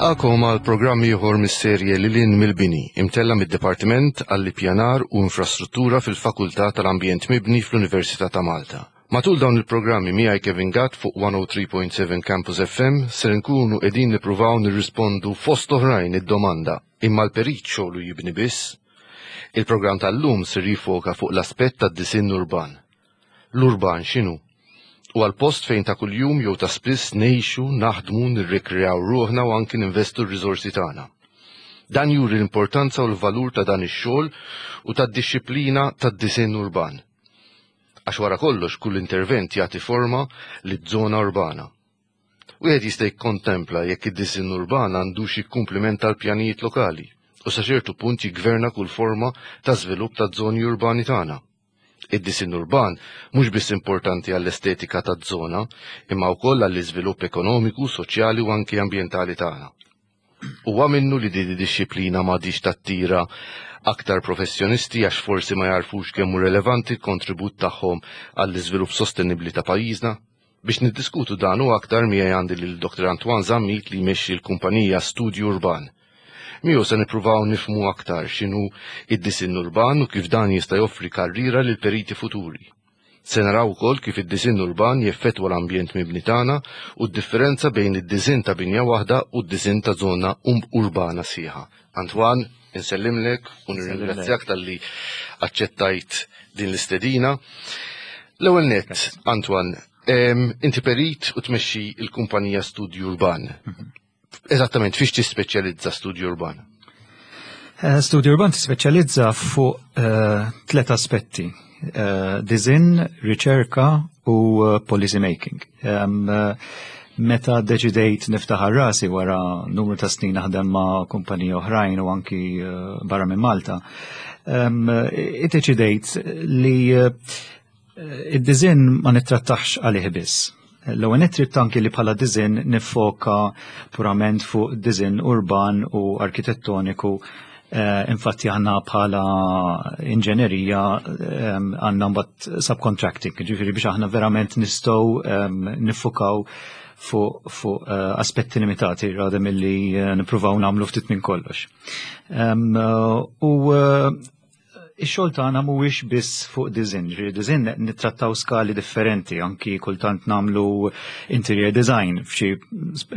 Nilqakom għal programm ieħor mis-serje Lil hinn mill-Bini, imtella' mid-Dipartiment għall-Ippjanar u Infrastruttura fil-Fakultà tal-Ambjent Mibni fl-Università ta' Malta. Matul dawn il-programmi miegħi Kevin Gatt fuq 103.7 Campus FM ser inkunu qegħdin nippruvaw nirrispondu fost oħrajn id-domanda imma l-perit xogħlu jibni biss? Il-programm tal-lum ser jiffoka fuq l-aspett tad-disinn urban. L-urban x'inhu? Huwa l-post fejn ta' kuljum jew ta' spiss ngħixu, naħdmu, nirrikreaw ruħna u anki ninvestu r-riżorsi tagħna. Dan juri l-importanza u l-valur ta' dan ix-xogħol u tad-dixxiplina tad-disinn urban. Għax wara kollox kull intervent jagħti forma liż-żona urbana. Wieħed jista' jikkontempla jekk id-disinn urban għandux jikkumplimenta l-pjanijiet lokali u sa ċertu punt jiggverna kull forma ta' żvilupp taż-żoni urbani tagħna. Id-disinn urban mhux biss importanti għall-estetika taż-żona, imma wkoll għall-iżvilupp ekonomiku, soċjali u anki ambjentali tagħna. Huwa minnu li din id-dixxiplina m'għadhiex tattira aktar professjonisti għax forsi ma jagħrfux kemm hu relevanti l-kontribut tagħhom għall-iżvilupp sostenibbli ta' pajjiżna? Biex niddiskutu dan u aktar miegħi għandi lil Dr. Antoine Zammit li jmexxi l-kumpanija Studju Urban. Miegħu se nippruvaw nifhmu aktar x'inhu id-disinn urban u kif dan jista' joffri karriera lil periti futuri. Se naraw ukoll kif id-disinn urban jeffettwa l-ambjent mibni tagħna u d-differenza bejn id-disinn ta' binja waħda u d-disinn ta' żona urbana sħiħa. Antoine, insellimlek u nirringrazzjak talli aċċettajt din l-istedina. L-ewwel nett, Antoine, inti perit u tmexxi l-kumpanija Studju Urban. Eżattament, fiex tispeċjalizza Studju Urban? Eh, Studju Urban tispeċjalizza fuq eh, tlet aspetti. Eh, design, riċerka u policy making. Meta deċidejt niftaħ rasi wara numru ta' snin naħdem ma' kumpaniji oħrajn u anki barra minn Malta, iddeċidejt li Id-disinn ma nittrattax għalih biss. L-ewwel nett trid anki li bħala disinn niffoka purament fuq disinn urban u arkitettoniku. Eh, infatti aħna bħala inġenerija eh, għandna mbagħad subcontracting, ġifieri biex aħna verament nistgħu eh, niffokaw fuq fu, aspetti limitati rather milli nippruvaw nagħmlu ftit minn kollox. U Ix-xogħol tagħna mhuwiex biss fuq design, ġifieri design nittrattaw skali differenti, anki kultant nagħmlu interior design f'xi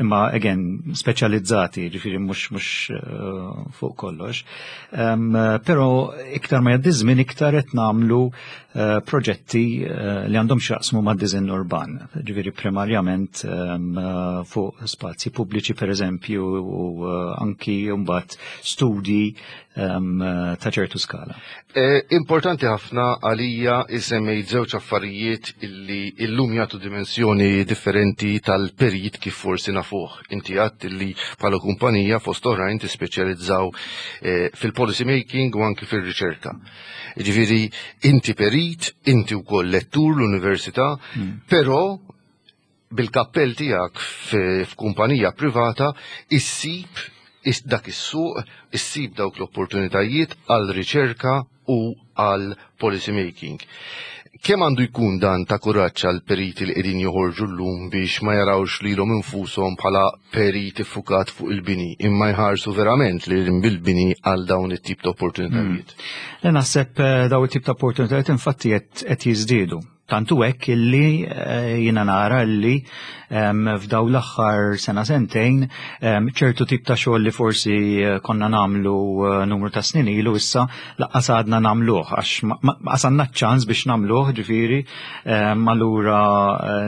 imma again speċjalizzati, ġifieri mhux mhux eh, fuq kollox. Um, però iktar ma jgħaddi żmien iktar qed nagħmlu uh, proġetti uh, li għandhom x'jaqsmu ma' design urban, ġifieri primarjament um, fuq spazji pubbliċi pereżempju u uh, anki mbagħad studji ta' ċertu skala. Eh, importanti ħafna għalija isemmejt żewġ affarijiet illi illum jagħtu dimensjoni differenti tal-perit kif forsi nafuh. Inti għadt illi bħala kumpanija fost oħrajn tispeċjalizzaw eh, fil-policy making u anki fil-riċerka. Ġifieri inti perit, inti wkoll lettur l-università, però bil-kappell tiegħek f'kumpanija privata issib dak is-suq, issib dawk l-opportunitajiet għal riċerka u għal policy making. Kemm għandu jkun dan ta' kuraġġ għal periti li qegħdin joħorġu llum biex ma jarawx lilhom infushom bħala periti ffukat fuq il-bini, imma jħarsu verament lil bil-bini għal dawn it-tip ta' opportunitajiet? Mm. Naħseb eh, dawn it-tip ta' opportunitajiet infatti qed jiżdiedu. Tant hu hekk illi eh, jiena nara illi f'daw l-aħħar sena sentejn ċertu tip ta' xogħol li forsi eh, konna nagħmlu eh, numru ta' snin ilu issa laqqas għadna nagħmluh għax għasanna ċans biex nagħmluh ġifieri allura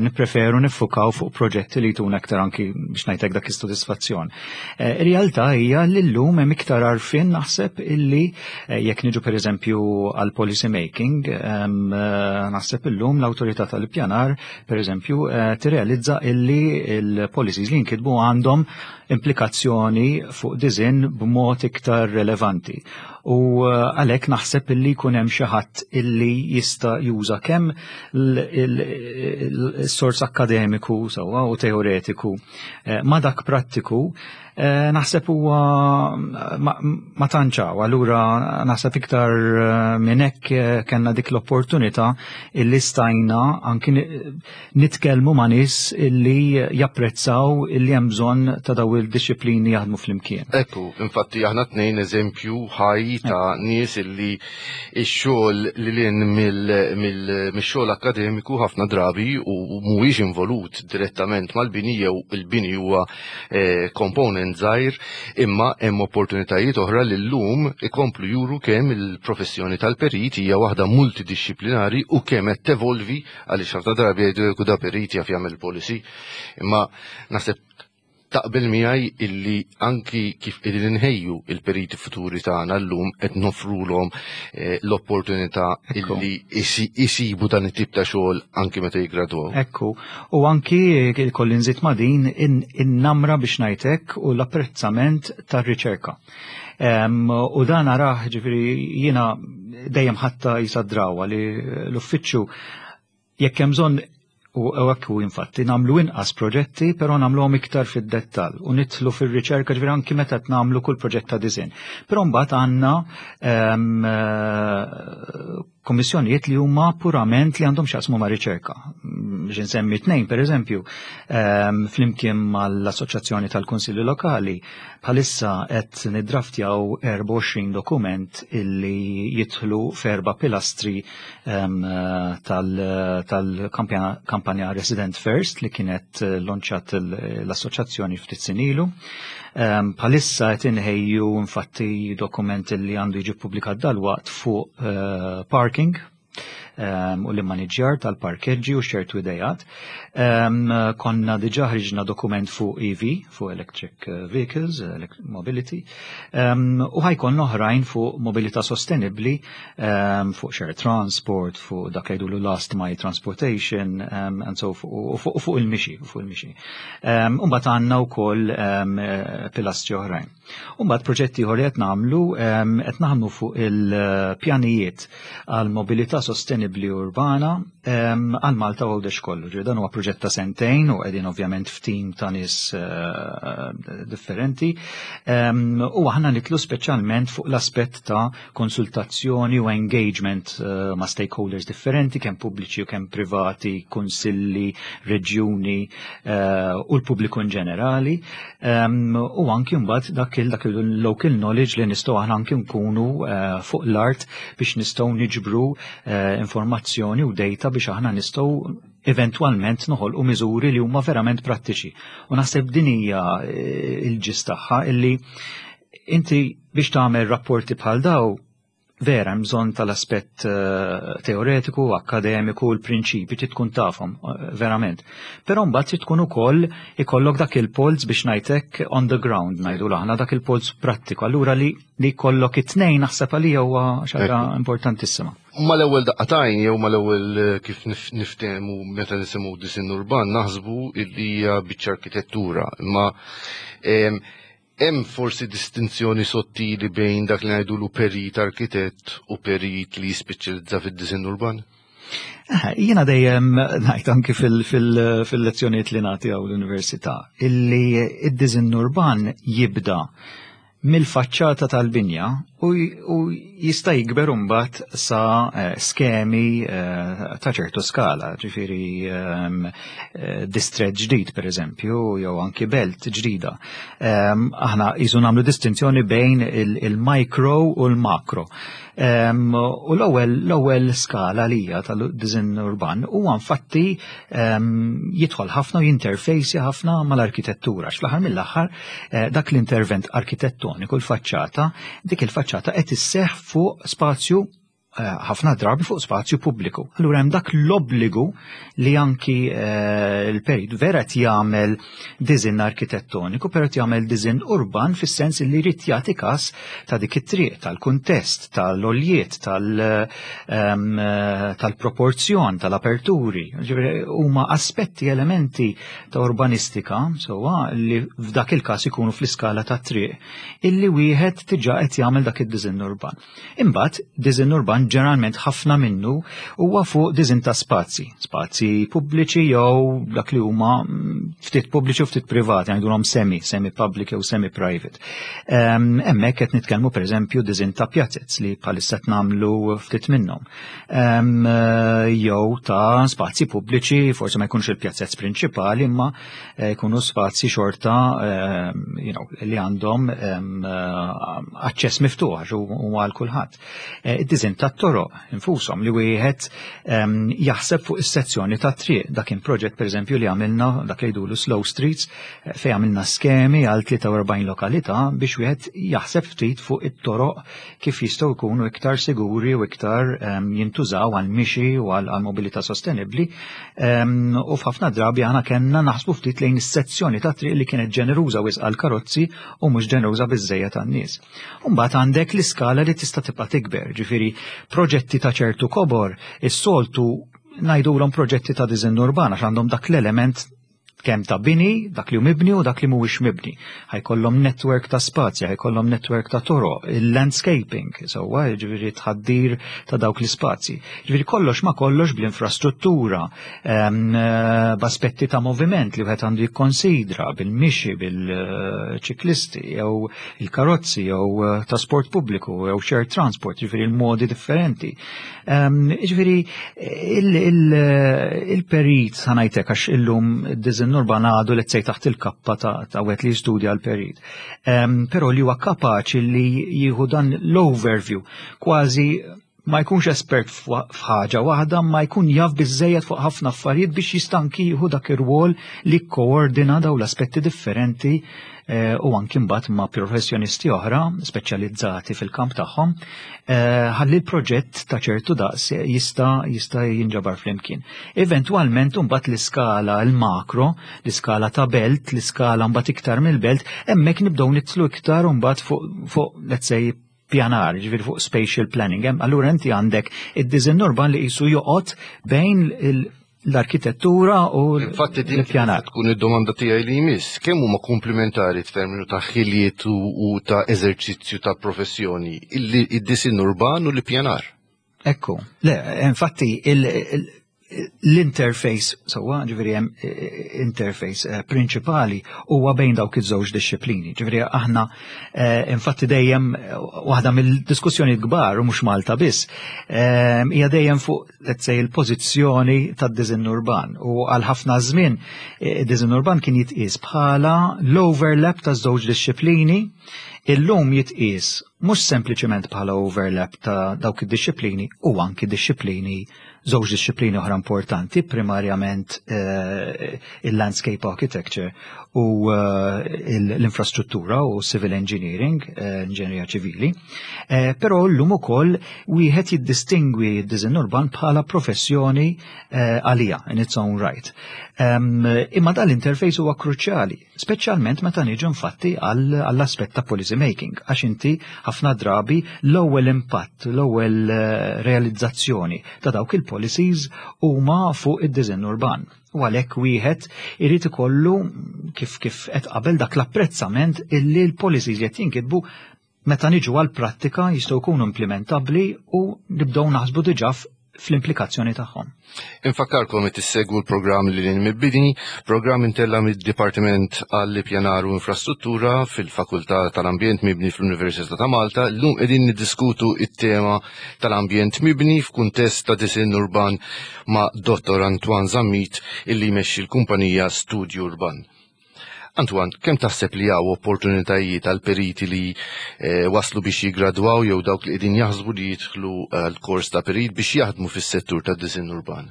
nippreferu niffukaw fuq proġetti li jtuna aktar anki biex ngħidlek dak is-sodisfazzjon. Ir-realtà hija li llum hemm iktar għarfien naħseb illi Eh, jekk niġu pereżempju għal policy making, eh, naħseb illum l-awtorità tal-ippjanar pereżempju eh, tirrealizza illi il-policies li jinkitbu għandhom implikazzjoni fuq diżin b'mod iktar relevanti. U għalhekk naħseb illi jkun hemm xi ħadd illi jista' juża kemm il-sors akademiku sewwa u teoretiku ma dak prattiku. Naħseb huwa ma tantx hawn, allura naħseb iktar minn hekk kellna dik l-opportunità illi stajna anki nitkellmu ma' nies illi japprezzaw illi hemm bżonn ta' daw il-disciplini jaħdmu flimkien. Ekku, infatti aħna tnejn eżempju ħaj ta' nies illi x-xogħol li lin mill-xogħol akkademiku ħafna drabi u mhuwiex involut direttament mal-bini jew il-bini huwa component żgħir, imma hemm opportunitajiet oħra li llum ikomplu juru kemm il-professjoni tal-perit hija waħda multidisciplinari u kemm qed tevolvi, għaliex ħafna drabi jgħidu da perit jaf jagħmel policy, imma naħseb taqbel miegħi illi anki kif qegħdin inħejju il-periti futuri tagħna llum qed nofrulhom l-opportunità illi isibu dan it-tip ta' xogħol anki meta jiggradwaw. Ekku, u anki kolli nżid ma' din in-namra biex ngħidlek u l-apprezzament tar-riċerka. U dan arah, ġifieri jiena dejjem ħatta jisa drawa li l-uffiċċju jekk hemm bżonn u hekk u infatti nagħmlu inqas proġetti, però nagħmluhom iktar fid-dettall u nidħlu fir-riċerka, ġifieri anki meta qed nagħmlu kull proġett ta' design. Però mbagħad għandna kommissjonijiet li huma purament li għandhom x'jaqsmu ma' riċerka. Biex insemmi tnejn, per eżempju, flimkien mal-Assoċjazzjoni tal-Kunsilli Lokali, bħalissa qed niddraftjaw 24 dokument illi jidħlu f'erba' pilastri tal-kampanja Resident First li kienet lonċat l-assoċjazzjoni ftit snin ilu. Bħalissa qed inħejju infatti dokument li għandu jiġi ppubblikat dalwaqt fuq parking u l-immaniġġjar tal-parkeġġi u ċertu idejat. Konna diġà ħriġna dokument fuq EV, fuq Electric Vehicles, Mobility, u ħa jkun oħrajn fuq mobilità sostenibli, fuq shared transport, fuq dak li jgħidulu last mile transportation, and so u fuq il-mixi, fuq il-mixi. U mbagħad għandna wkoll pilastri oħrajn. U mbagħad proġetti ieħor li qed nagħmlu, qed naħdmu fuq il-pjanijiet għal mobilità sostenibbli urbana għal Malta u Għawdex kollu. Ġifieri dan huwa proġett ta' sentejn u qegħdin ovvjament f'tim ta' nies differenti. U aħna nidħlu speċjalment fuq l-aspett ta' konsultazzjoni u engagement ma' stakeholders differenti, kemm pubbliċi u kemm privati, kunsilli, reġjuni u l-pubbliku in ġenerali. U anki mbagħad dak il-local knowledge li nistgħu aħna anki nkunu fuq l-art biex nistgħu niġbru informazzjoni u data biex aħna nistgħu eventwalment noħolqu miżuri li huma verament prattiċi. U naħseb din hija il-ġis tagħha illi inti biex tagħmel rapporti bħal daw vera hemm bżonn tal-aspett teoretiku, akademiku, l-prinċipi trid tkun tafhom verament. Però mbagħad trid tkun ukoll ikollok dak il-polz biex ngħidlek on the ground ngħidu aħna dak il-polz prattiku. Allura li jkollok it-tnejn naħseb għalija huwa xi ħaġa importantissima. Mal-ewwel daqqa t'għajn jew mal-ewwel kif niftehmu meta nisimgħu disinn urban naħsbu li hija biċċa arkitettura, imma hemm forsi distinzjoni sottili bejn dak li ngħidulu perit arkitett u perit li jispeċjalizza fid-disinn urban? Jiena dejjem ngħid anki fil-lezzjonijiet li nagħti hawn l-università illi id-disinn urban jibda mill-faċċata tal-binja u jista' jikber imbagħad sa skemi ta' ċertu skala, ġifieri distret ġdid pereżempju, jew anki belt ġdida. Aħna qisu nagħmlu distinzjoni bejn il-micro u l-macro. U l-ewwel skala li hija tal-disinn urban huwa infatti jidħol ħafna u jinterfejsi ħafna mal-arkitettura. Fl-aħħar mill-aħħar dak l-intervent arkitettoniku, l-faċċata, dik il-faċċata qed isseħħ fuq spazju ħafna drabi fuq spazju pubbliku. Allura hemm dak l-obbligu li anki l-perit vera qed jagħmel disinn arkitettoniku, però qed jagħmel disinn urban fis-sens li jrid jagħti każ ta' dik it-triq, tal-kuntest, tal-oljiet, tal-proporzjon, tal-aperturi. Ġifieri huma aspetti, elementi ta' urbanistika, sewwa, li f'dak il-każ ikunu fl-iskala ta' triq, illi wieħed diġà qed jagħmel dak id-disinn urban. Imbagħad disinn urban ġeneralment ħafna minnu huwa fuq diżin ta' spazji, spazji pubbliċi jew dak li huma ftit pubbliċi u ftit privati, ngħidulhom semi, semi public jew semi private. Hemmhekk qed nitkellmu pereżempju diżin ta' pjazez li bħalissa qed nagħmlu ftit minnhom. Jew ta' spazji pubbliċi, forsi ma jkunx il-pjazzez prinċipali, imma jkunu spazji xorta you know, li għandhom aċċess miftuħ għax huwa għal kulħadd. Id-diżin tat-toroq infushom li wieħed jaħseb fuq is-sezzjoni ta' triq. Dak kien proġett pereżempju li għamilna dak li jgħidulu slow streets fejn għamilna skemi għal 43 lokalità biex wieħed jaħseb ftit fuq it-toroq kif jistgħu jkunu iktar siguri u iktar jintużaw għal mixi u għal mobilità sostenibbli. U f'ħafna drabi aħna kellna naħsbu ftit lejn is-sezzjoni ta' triq li kienet ġeneruża wisq għal karozzi u mhux ġeneruża biżżejjed għan-nies. Mbagħad għandek l-iskala li tista' tibqa' tikber, ġifieri proġetti ta' ċertu kobor is-soltu ngħidulhom proġetti ta' diżinn urban għax għandhom dak l-element kemm ta' bini, dak li hu mibni u dak li mhuwiex mibni. Ħajkollhom network ta' spazji, ħajkollhom network ta' toroq, il-landscaping, sewwa, jiġifieri tħaddir ta' dawk l-ispazji. Ġifieri kollox ma kollox bl-infrastruttura, b'aspetti ta' moviment li wieħed għandu jikkonsidra bil-mixi, bil-ċiklisti jew il-karozzi jew trasport pubbliku jew shared transport, ġifieri l-modi differenti. Ġifieri il-perit ħa ngħidlek għax illum id-diżinn urban għadu let's say taħt il-kappa ta' wieħed li jistudja l-perit. Però li huwa kapaċi li jieħu dan l-overview kważi ma jkunx espert f'ħaġa waħda, ma jkun jaf biżejjed fuq ħafna affarijiet biex jista' anki jieħu dak ir-rwol li koordina daw l-aspetti differenti u anki mbagħad ma' professjonisti oħra speċjalizzati fil-kamp tagħhom ħalli l-proġett ta' ċertu daqs jista' jinġabar flimkien. Eventwalment mbagħad l-iskala l-makro, l-iskala ta' belt, l-iskala mbagħad iktar mill-belt, hemmhekk nibdew nidħlu iktar mbagħad fuq let's say pjanar, ġifieri fuq spatial planning. Allura inti għandek id-design urban li qisu joqgħod bejn l-arkitettura u Infatti din l-pjanar. tkun id-domanda tiegħi li jmiss, kemm huma komplementari f'terminu ta' ħiliet u ta' eżerċizzju ta' professjoni id-disin urban u l-pjanar? Ekku, le, infatti l-interface, sewwa, ġifieri hemm interface prinċipali huwa bejn dawk iż-żewġ disċiplini. Ġifieri aħna infatti dejjem waħda mill-diskussjoni kbar u mhux Malta biss, hija dejjem fuq let's say il-pożizzjoni tad-diżinn urban. U għal ħafna żmien id-diżinn urban kien jitqies bħala l-overlap ta' żewġ disċiplini, illum jitqies mhux sempliċement bħala overlap ta' dawk id-disċiplini u anki disċiplini żewġ disċiplini oħra importanti, primarjament il-landscape architecture u l-infrastruttura u civil engineering, inġinerija ċivili. Però llum ukoll wieħed jiddistingwi d-diżinn urban bħala professjoni għalija in its own right. Imma dal-interface huwa kruċjali, speċjalment meta niġu infatti għall-aspett ta' policy making, għax inti ħafna drabi l-ewwel impatt, l-ewwel realizzazzjoni ta' dawk il-policies huma fuq id-diżinn urban. U għalhekk wieħed irid ikollu kif qed qabel dak l-apprezzament illi l-policies qed jinkitbu meta niġu għall-prattika jistgħu jkunu implementabbli u nibdew naħsbu diġà fl-implikazzjoni tagħhom. Infakkarkom qed issegwu l-programm Lil Hinn Mill-Bini, programm intella mid-Dipartiment għall-Ippjanar u Infrastruttura fil-Fakultà tal-Ambjent Mibni fl-Università ta' Malta. Llum qegħdin niddiskutu it-tema tal-ambjent mibni f'kuntest ta' disinn urban ma' Dottor Antoine Zammit illi jmexxi l-kumpanija Studio Urban. Antoine, kemm taħseb li hawn opportunitajiet għal periti li waslu biex jiggradwaw jew dawk li qegħdin jaħsbu li jidħlu għal kors ta' perit biex jaħdmu fis-settur tad-disinn urban?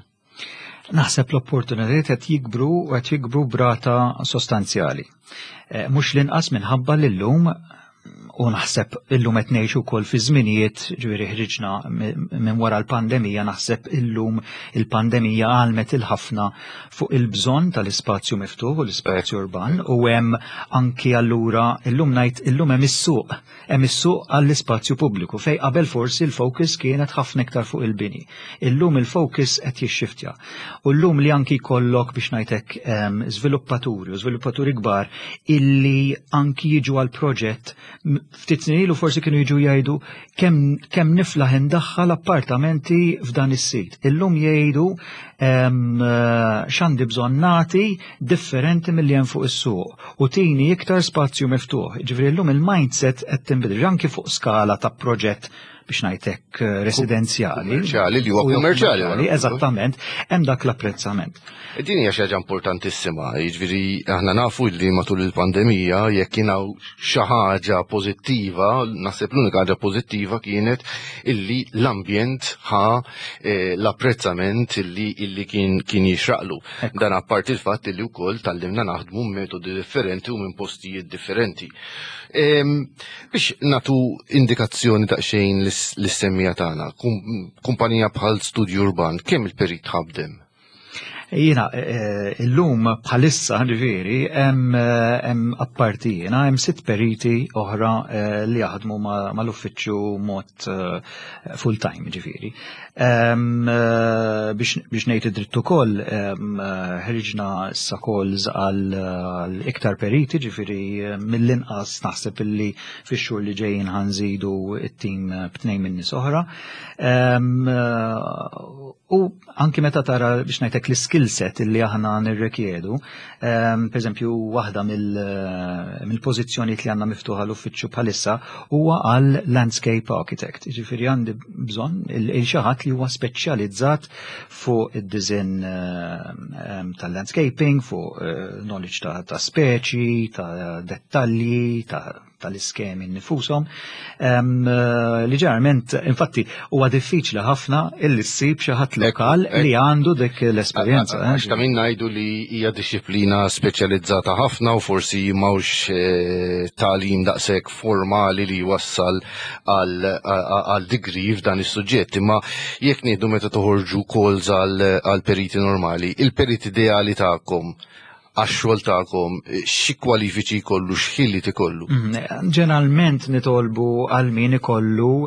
Naħseb l-opportunitajiet qed jikbru u qed jikbru brata sostanzjali. Mhux l-inqas minħabba li llum u naħseb illum qed ngħixu wkoll fi żminijiet, ġifieri ħriġna minn wara l-pandemija, naħseb illum il-pandemija għalmet il-ħafna fuq il-bżonn tal-ispazju miftuħ u l-ispazju urban, u hemm anki allura illum ngħid illum hemm is-suq, hemm is-suq għall-ispazju pubbliku fej qabel forsi l-focus kienet ħafna iktar fuq il-bini. Illum il-focus qed jixxiftja. U llum li anki jkollok biex ngħidlek żviluppaturi u żviluppaturi kbar illi anki jiġu għal proġett Ftit snin ilu forsi kienu jiġu jgħidu kemm niflaħ indaħħal appartamenti f'dan is-sit. Illum jgħidu x'għandi bżonn nagħti differenti milli hemm fuq is-suq u tini iktar spazju miftuħ. Ġifieri llum il-mindset qed tinbidel anki fuq skala ta' proġett biex ngħidlek residenzjali. Kummerċjali li huwa kummerċjali. Eżattament, hemm dak l-apprezzament. Din hija xi ħaġa importantissima, jiġifieri aħna nafu li matul il-pandemija jekk kien hawn xi ħaġa pożittiva, naħseb l-unika ħaġa pożittiva kienet illi l-ambjent ħa l-apprezzament illi kien kien jixraqlu. Dan apparti il-fatt illi wkoll tgħallimna naħdmu metodi differenti u minn postijiet differenti. Biex nagħtu indikazzjoni daqsxejn lis-semmiegħa tagħna, kumpanija bħal Studio Urban, kemm il-perit ħabdem? Jiena illum bħalissa ġifieri hemm apparti jiena hemm sitt periti oħra li jaħdmu mal-uffiċċju mod full time ġifieri. Biex ngħid id-dritt ukoll ħriġna issa calls għal iktar periti, ġifieri mill-inqas naħseb illi fix-xhur li ġejjin ħa nżidu it-tim b'tnejn minn nies oħra. U anki meta tara, biex ngħidlek, l-skill set illi aħna nirrikjedu, per eżempju, waħda mill-pożizzjonijiet li għandna miftuħa l-uffiċċju bħalissa huwa għal landscape architect. Ġifieri għandi bżonn il xi ħadd li huwa speċjalizzat fuq id-design tal-landscaping, fuq knowledge ta' speċi, ta' dettalji, ta' tal-iskemi nfushom, li ġeneralment, infatti, huwa diffiċli ħafna illi ssib xi ħadd lokal li għandu dik l-esperjenza. Għax ta' min ngħidu li hija dixxiplina speċjalizzata ħafna u forsi m'hawnx tagħlim daqshekk formali li jwassal għal degree f'dan is-suġġett. Imma jekk nieħdu meta toħorġu calls għal periti normali, il-perit ideali tagħkom għax-xogħol tagħkom, xi kwalifiċi jkollu, x'ħiliet ikollu? Ġeneralment nitolbu għal min ikollu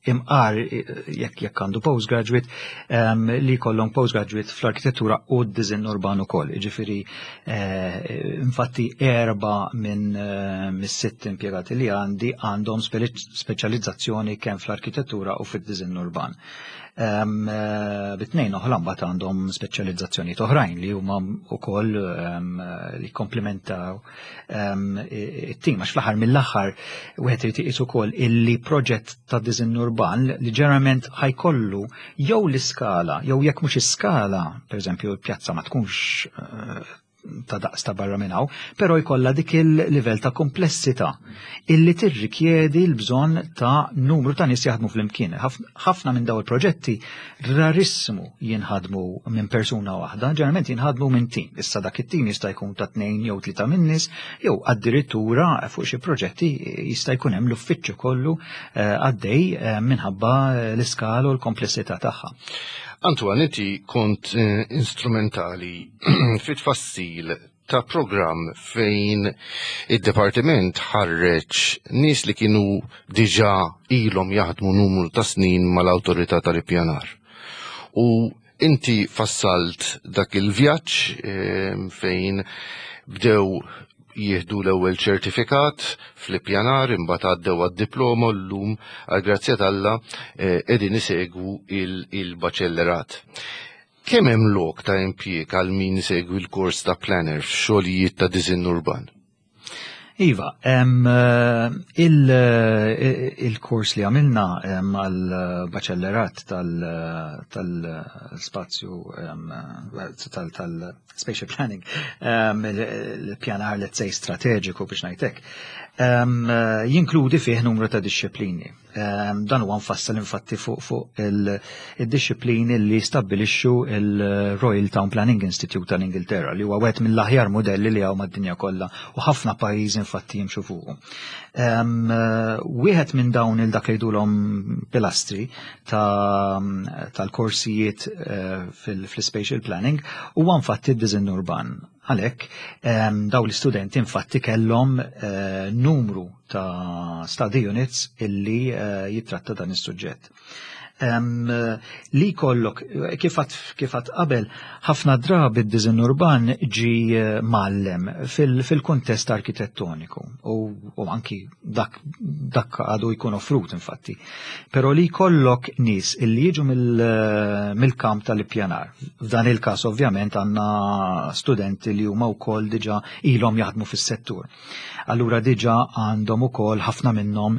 imqar jekk għandu postgraduate, li jkollhom postgraduate fl-arkitettura u d-design urban ukoll. Ġifieri infatti erba' minn mis-sitt impjegati li għandi għandhom speċjalizzazzjoni kemm fl-arkitettura u fid-design urban. Bit-tnejn oħra mbagħad għandhom speċjalizzazzjoni oħrajn li huma wkoll li komplementaw it-tim, għax fl-aħħar mill-aħħar wieħed irid iqis ukoll illi proġett ta' design urban li ġeneralment ħa jkollu jew l-iskala jew jekk mhux iskala, pereżempju l-pjazza ma tkunx ta' daqs ta' barra minn hawn, però jkollha dik il-livell ta' komplessità illi tirrikjedi l-bżonn ta' numru ta' nies jaħdmu flimkien. Ħafna minn daw il-proġetti rarissimu jinħadmu minn persuna waħda, ġeneralment jinħadmu minn tim. Issa dak it-tim jista' jkun ta' tnejn jew tlieta minn nies, jew addirittura fuq xi proġetti jista' jkun hemm l-uffiċċju kollu għaddej minħabba l-iskala u l-komplessità tagħha. Antoine, inti kont instrumentali fit-tfassil ta' program fejn id-departiment ħarreġ nies li kienu diġà ilhom jaħdmu numru ta' snin mal-awtorità tal-ippjanar. U inti fassalt dak il-vjaġġ fejn bdew jieħdu l-ewwel ċertifikat fl-ippjanar, imbagħad għaddew għad-diploma u llum għal grazzja t'Alla qegħdin isegwu il-baċellerat. Kemm hemm lok ta' impjieg għal min isegwi l-kors ta' planner f'xogħlijiet ta' disinn urban? Iva, il-kors li għamilna għal-baċellerat tal-spazju tal-spatial planning, il-pjanar, let's say, strateġiku biex ngħidlek, jinkludi fih numru ta' disċiplini. Dan huwa mfassal infatti fuq il-disċiplini li stabbilixxu il-Royal Town Planning Institute tal-Ingilterra, li huwa wieħed mill-aħjar modelli li hawn mad-dinja kollha u ħafna pajjiżi infatti jimxu fuqu. Wieħed minn dawn il dak li jgħidulhom pilastri tal-korsijiet fil-spatial planning huwa infatti d-design urban. Għalhekk daw l-istudenti infatti kellhom numru ta' study units illi jitratta dan is-suġġett. Li jkollok, kif għedt qabel, ħafna drabi d-diżinn urban ġi eh, mgħallem fil-kuntest arkitettoniku u anki dak, dak għadu jkun offrut infatti. Però li jkollok nies illi jiġu eh, mill-kamp tal-ippjanar. F'dan il-każ ovvjament għandna studenti li huma wkoll diġà ilhom jaħdmu fis-settur. Allura diġà għandhom ukoll ħafna minnhom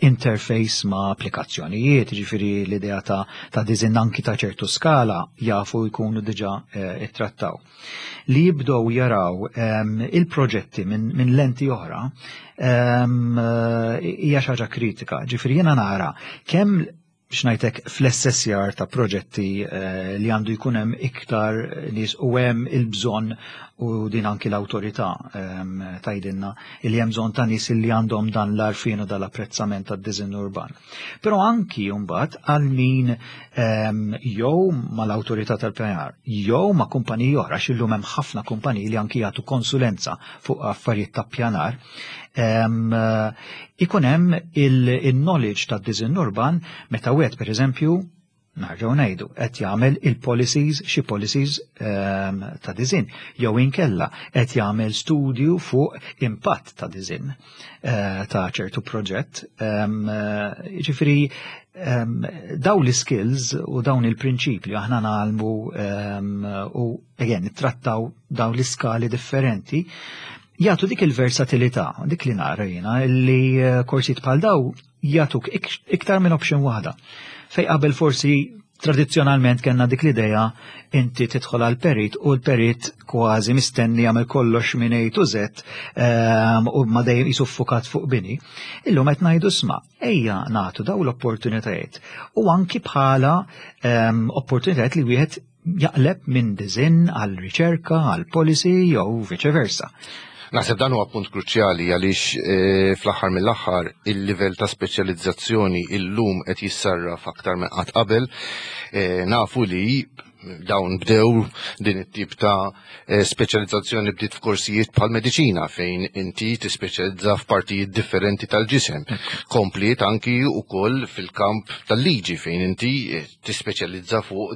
interface ma' applikazzjonijiet, ġifieri l-idea ta', ta design anki ta' ċertu skala jafu jkunu diġà eh, ittrattaw. Li jibdew jaraw il-proġetti minn min lenti oħra hija xi ħaġa kritika. Ġifieri jiena nara kemm biex ngħidlek fl-assessjar ta' proġetti eh, li għandu jkun hemm iktar nies u hemm il-bżonn u din anki l-awtorità ehm, tgħidilna li hemm bżonn ta' nies li għandhom dan l-għarfien u dal-apprezzament tad-diżinn urban. Però anki mbagħad għal min ehm, jew mal-awtorità tal-pjanar jew ma' kumpaniji oħra x'illum hemm ħafna kumpaniji li anki jagħtu konsulenza fuq affarijiet ta' pjanar ikun hemm il-knowledge ta' design urban meta wieħed pereżempju narġgħu ngħidu qed jagħmel il-policies xi policies ta' design jew inkella qed jagħmel studju fuq impatt ta' design eh, ta' ċertu proġett. Ġifieri daw l-skills u dawn il-prinċipji aħna ngħallmu u again nittrattaw dawn l-iskali differenti jagħtu dik il-versatilità, dik li nara jiena li eh, korsijiet bħal daw jagħtuk iktar minn option waħda. Fej qabel forsi tradizzjonalment kellna dik l-idea inti tidħol għal perit u l-perit kważi mistenni jagħmel kollox minn A to Z u ma dejjem jisuffukat fuq bini. Illum qed ngħidu sma' ejja nagħtu daw l-opportunitajiet u anki bħala opportunitajiet li wieħed jaqleb minn design għal riċerka, għal policy jew vice versa. Naħseb dan huwa punt kruċjali għaliex eh, fl-aħħar mill-aħħar il-livell ta' speċjalizzazzjoni illum qed jissarraf aktar minn qatt qabel. Eh, nafu li dawn bdew din it-tip ta' eh, speċjalizzazzjoni bdiet f'korsijiet bħal mediċina fejn inti tispeċjalizza f'partijiet differenti tal-ġisem. Kompliet anki wkoll fil-kamp tal-liġi fejn inti tispeċjalizza fuq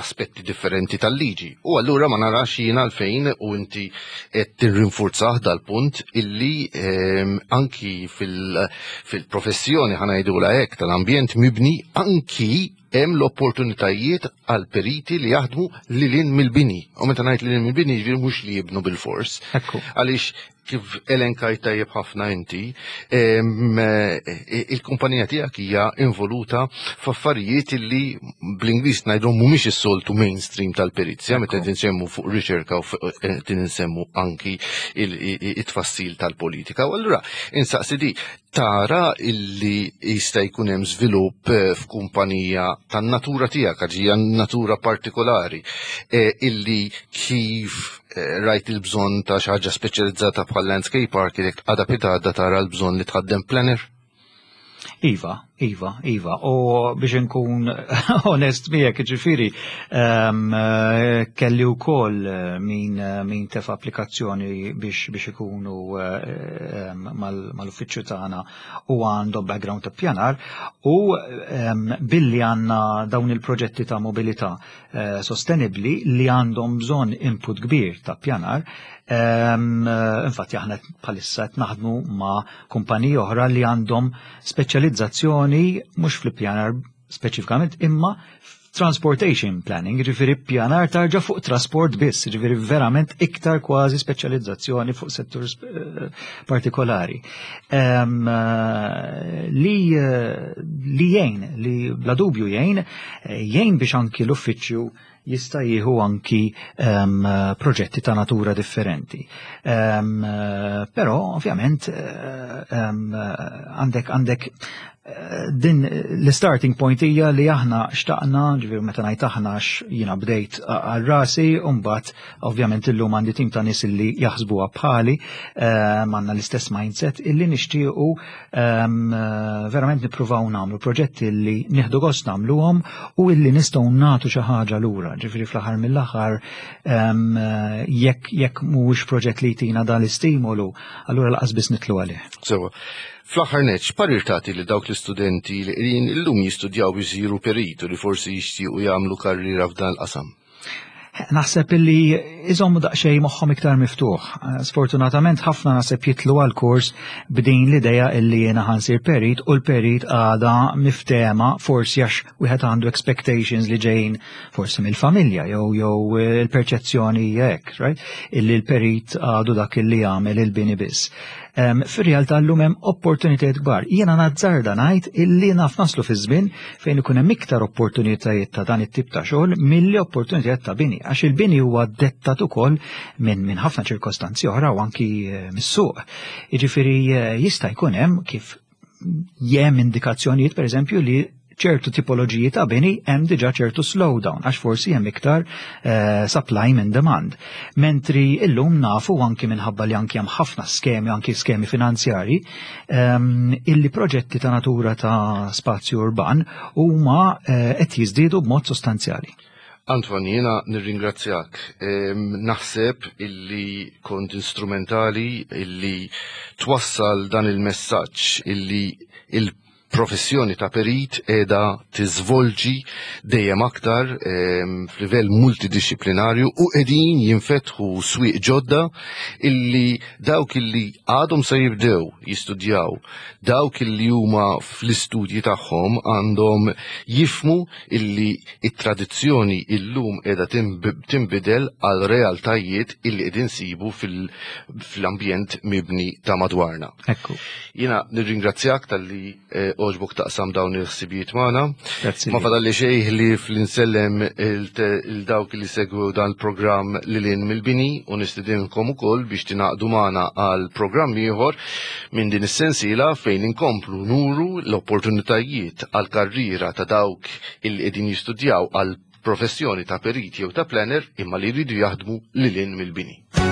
aspetti differenti tal-liġi. U allura ma narax jiena għalfejn u inti qed tirrinfurzah dal-punt illi ehm, anki fil-professjoni ħa ngħidulha hekk tal-ambjent mibni anki hemm l-opportunitajiet għal periti li jaħdmu lil hinn mill-bini. U meta ngħid lil hinn mill-bini jiġifieri mhux li jibnu bil-fors. Għaliex kif elenkajt tajjeb ħafna inti, eh, il-kumpanija tiegħek hija involuta f'affarijiet li bl-Ingliż ngħidhom mhumiex is-soltu mainstream tal-perizja, meta qed insemmu fuq riċerka u qed insemmu anki it-tfassil tal-politika. U allura insaqsi di, tara illi jista' jkun hemm żvilupp eh, f'kumpanija tan-natura tiegħek għax hija natura partikolari eh, illi kif eh, rajt il-bżonn ta' xi ħaġa speċjalizzata bħal landscape architect għada pitgħada tara l-bżonn li tħaddem planner? Iva, Iva, Iva. U biex nkun onest miegħek, ġifieri, ehm, kelli wkoll eh, min, eh, min tefa' applikazzjoni biex biex ikunu eh, ehm, mal-uffiċċju tagħna u għandhom background ta' pjanar u ehm, billi għandna dawn il-proġetti ta' mobilità sostenibbli li għandhom bżonn input kbir ta' pjanar, infatti aħna bħalissa qed naħdmu ma' kumpaniji oħra li għandhom speċjalizzazzjoni mhux fl-ippjanar speċifikament imma transportation planning, ġifiri pjanar tarġa fuq trasport biss, ġifiri verament iktar kważi speċjalizzazzjoni fuq settur eh, partikolari. Eh, li, eh, li jgħin, li bla dubju jgħin, jgħin biex anki l-uffiċċju jista' jieħu anki um, proġetti ta' natura differenti. Um, però ovvjament um, għandek għandek eh, din l-starting point hija li aħna xtaqna, ġifieri meta ngħid aħna jiena bdejt għal rasi, u mbagħad ovvjament illum għandi tim ta' nies illi jaħsbuha bħali, għandna l-istess mindset illi nixtiequ verament nippruvaw nagħmlu proġetti li nieħdu gost nagħmluhom u illi nistgħu nagħtu xi ħaġa lura. Ġifieri fl-aħħar mill-aħħar jekk jekk mhuwiex proġett li jtina dan l-istimolu, allura laqas biss nitlu għalih. Sewa. Fl-aħħar nett, x'parir tagħti lil dawk l-istudenti li qegħdin illum jistudjaw biex isiru perit u li forsi jixtiequ jagħmlu karriera f'dan il-qasam? Naħseb illi iżommu daqsxejn moħħhom iktar miftuħ. Sfortunatament ħafna naħseb jitlu għal kors b'din l-idea illi jiena ħansir perit u l-perit għada miftema forsi għax wieħed għandu expectations li ġejjin forsi mill-familja jew jew il-perċezzjoni hekk, right? Illi l-perit għadu dak illi jagħmel il-bini biss. Fir-realtà llum hemm opportunitajiet kbar. Jiena nazzarda ngħid illi naf naslu fi żmien fejn ikun hemm iktar opportunitajiet ta' dan it-tip ta' xogħol milli opportunitajiet ta' bini, għax il-bini huwa dettat ukoll minn min ħafna ċirkostanzi oħra u anki eh, mis-suq. Jiġifieri eh, jista' jkun hemm kif jem indikazzjonijiet pereżempju li ċertu tipoloġiji ta' bini hemm diġà ċertu slowdown għax forsi hemm iktar eh, supply minn demand. Mentri illum nafu anki minħabba li anki hemm ħafna skemi, anki skemi finanzjari, ehm, illi proġetti ta' natura ta' spazju urban huma eh, qed jiżdiedu b'mod sostanzjali. Antoine, jiena nirringrazzjak. Ehm, naħseb illi kont instrumentali illi twassal dan il-messaġġ illi il professjoni ta' perit qiegħda tiżvolġi dejjem aktar ehm, f'livell multidixxiplinarju u qegħdin jinfetħu swieq ġodda illi dawk illi għadhom se jibdew jistudjaw, dawk illi huma fl-istudji tagħhom għandhom jifmu illi it-tradizzjoni illum qiegħda tinbidel għal realtajiet illi qegħdin sibu fil-ambjent mibni ta' madwarna. Ekku. Jiena nirringrazzjak talli eh, oġbok taqsam dawn il-ħsibijiet magħna. Ma fadalli xejn li fl-insellem il-dawk li segwu dan il-programm lil mill-bini u nistidinkom ukoll biex tingħaqdu magħna għal programm ieħor minn din is-sensiela fejn inkomplu nuru l-opportunitajiet għal karriera ta' dawk illi qegħdin jistudjaw għal professjoni ta' perit jew ta' planner imma li jridu jaħdmu lil hinn mill-bini.